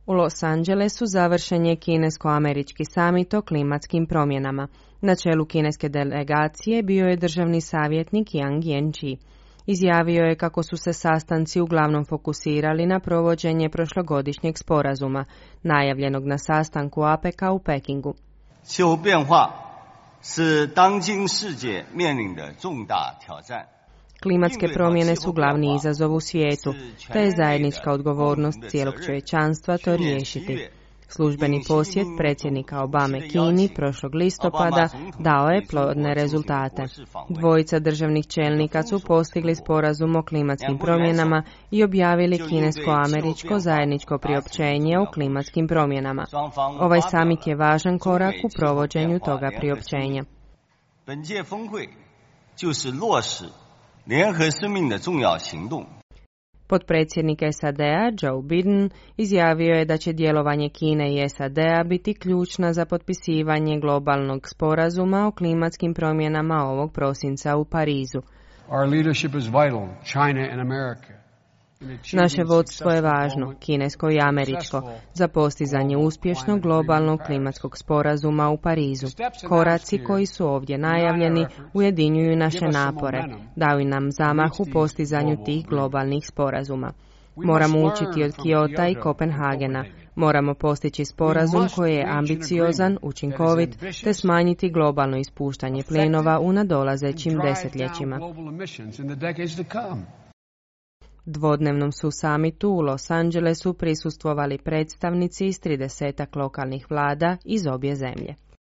U Los Angelesu završen je kinesko-američki samit o klimatskim promjenama. Na čelu kineske delegacije bio je državni savjetnik Yang Jiechi. Izjavio je kako su se sastanci uglavnom fokusirali na provođenje prošlogodišnjeg sporazuma, najavljenog na sastanku APEC-a u Pekingu. Klimatske promjene su glavni izazov u svijetu, te je zajednička odgovornost cijelog čovječanstva to riješiti. Službeni posjet predsjednika Obame Kini prošlog listopada dao je plodne rezultate. Dvojica državnih čelnika su postigli sporazum o klimatskim promjenama i objavili kinesko-američko zajedničko priopćenje o klimatskim promjenama. Ovaj samit je važan korak u provođenju toga priopćenja. Potpredsjednik SAD-a Joe Biden izjavio je da će djelovanje Kine i SAD-a biti ključna za potpisivanje globalnog sporazuma o klimatskim promjenama ovog prosinca u Parizu. Naše vodstvo je važno, kinesko i američko, za postizanje uspješnog globalnog klimatskog sporazuma u Parizu. Koraci koji su ovdje najavljeni ujedinjuju naše napore, daju nam zamah u postizanju tih globalnih sporazuma. Moramo učiti od Kiota i Kopenhagena. Moramo postići sporazum koji je ambiciozan, učinkovit, te smanjiti globalno ispuštanje plinova u nadolazećim desetljećima. Dvodnevnom su samitu u Los Angelesu prisustvovali predstavnici iz 30 lokalnih vlada iz obje zemlje.